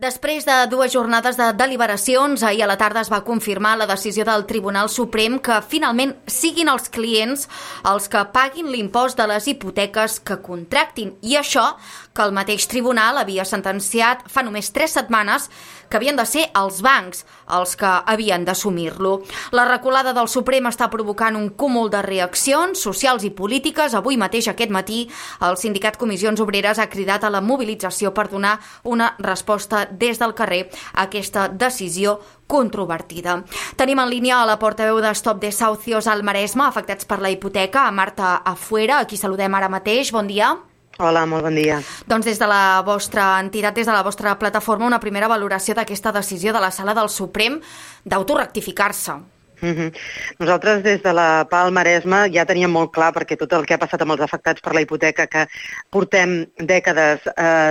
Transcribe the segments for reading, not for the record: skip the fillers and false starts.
Després de 2 jornades de deliberacions, ahir a la tarda es va confirmar la decisió del Tribunal Suprem que finalment siguin els clients els que paguin l'impost de les hipoteques que contractin. I això que el mateix tribunal havia sentenciat fa només 3 setmanes que havien de ser els bancs els que havien d'assumir-lo. La reculada del Suprem està provocant un cúmul de reaccions socials i polítiques. Avui mateix, aquest matí, el sindicat Comissions Obreres ha cridat a la mobilització per donar una resposta des del carrer a aquesta decisió controvertida. Tenim en línia a la portaveu de Stop Desahucios al Maresme, afectats per la hipoteca, a Marta Afuera, a qui saludem ara mateix. Bon dia. Hola, molt bon dia. Doncs des de la vostra entitat, des de la vostra plataforma, una primera valoració d'aquesta decisió de la Sala del Suprem d'autorectificar-se. Nosaltres des de la PA al Maresme ja teníem molt clar, perquè tot el que ha passat amb els afectats per la hipoteca, que portem dècades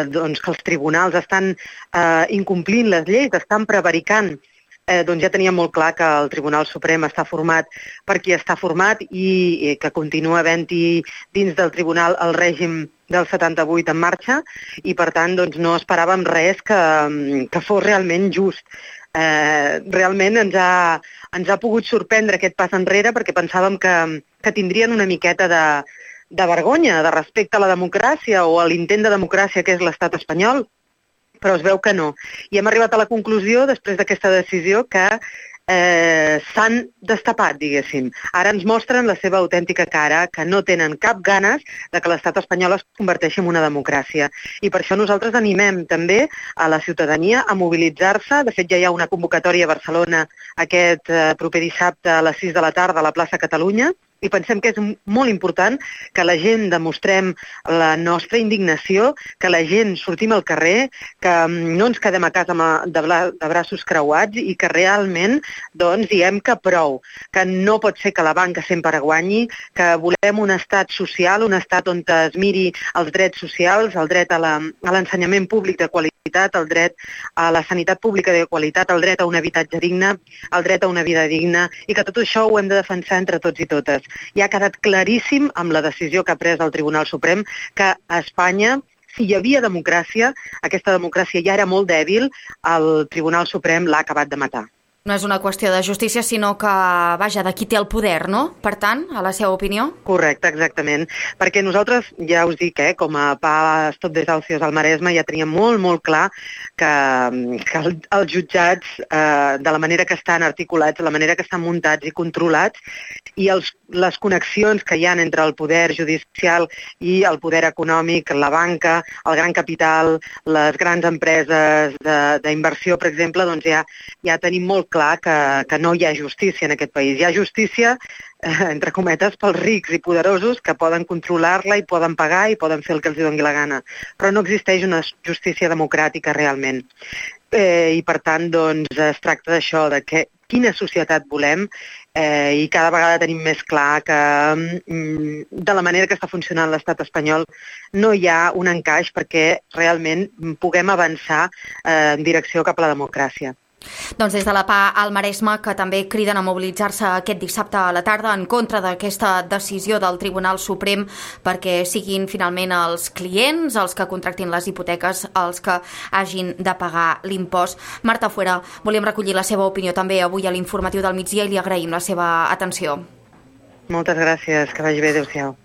doncs que els tribunals estan incomplint les lleis, estan prevaricant, doncs ja teníem molt clar que el Tribunal Suprem està format per qui està format i que continua havent-hi dins del tribunal el règim del 78 en marxa i, per tant, doncs, no esperàvem res que fos realment just. Realment ens ha pogut sorprendre aquest pas enrere perquè pensàvem que tindrien una miqueta de vergonya, de respecte a la democràcia o a l'intent de democràcia que és l'estat espanyol, però es veu que no. I hem arribat a la conclusió, després d'aquesta decisió, que s'han destapat, diguéssim. Ara ens mostren la seva autèntica cara, que no tenen cap ganes de que l'estat espanyol es converteixi en una democràcia. I per això nosaltres animem també a la ciutadania a mobilitzar-se. De fet, ja hi ha una convocatòria a Barcelona aquest proper dissabte a les 6 de la tarda a la plaça Catalunya, i pensem que és molt important que la gent demostrem la nostra indignació, que la gent sortim al carrer, que no ens quedem a casa de braços creuats i que realment doncs, diem que prou, que no pot ser que la banca sempre guanyi, que volem un estat social, un estat on es miri els drets socials, el dret a l'ensenyament públic de qualitat, el dret a la sanitat pública de qualitat, el dret a un habitatge digne, el dret a una vida digna, i que tot això ho hem de defensar entre tots i totes. Ja ha quedat claríssim amb la decisió que ha pres el Tribunal Suprem que a Espanya, si hi havia democràcia, aquesta democràcia ja era molt dèbil, el Tribunal Suprem l'ha acabat de matar. No és una qüestió de justícia, sinó que, vaja, de qui té el poder, no? Per tant, a la seva opinió? Correcte, exactament. Perquè nosaltres, ja us dic, com a PA Stop Desahucios al Maresme, ja teníem molt clar que els jutjats, de la manera que estan articulats, de la manera que estan muntats i controlats, i les connexions que hi ha entre el poder judicial i el poder econòmic, la banca, el gran capital, les grans empreses d'inversió, per exemple, doncs ja tenim molt clar que no hi ha justícia en aquest país. Hi ha justícia, entre cometes, pels rics i poderosos que poden controlar-la i poden pagar i poden fer el que els doni la gana. Però no existeix una justícia democràtica realment. I per tant, doncs, es tracta d'això, de quina societat volem, i cada vegada tenim més clar que de la manera que està funcionant l'estat espanyol no hi ha un encaix perquè realment puguem avançar en direcció cap a la democràcia. Doncs des de la PA al Maresme, que també criden a mobilitzar-se aquest dissabte a la tarda en contra d'aquesta decisió del Tribunal Suprem perquè siguin finalment els clients, els que contractin les hipoteques, els que hagin de pagar l'impost. Marta Afuera, volíem recollir la seva opinió també avui a l'informatiu del migdia i li agraïm la seva atenció. Moltes gràcies, que vagi bé, adéu-siau.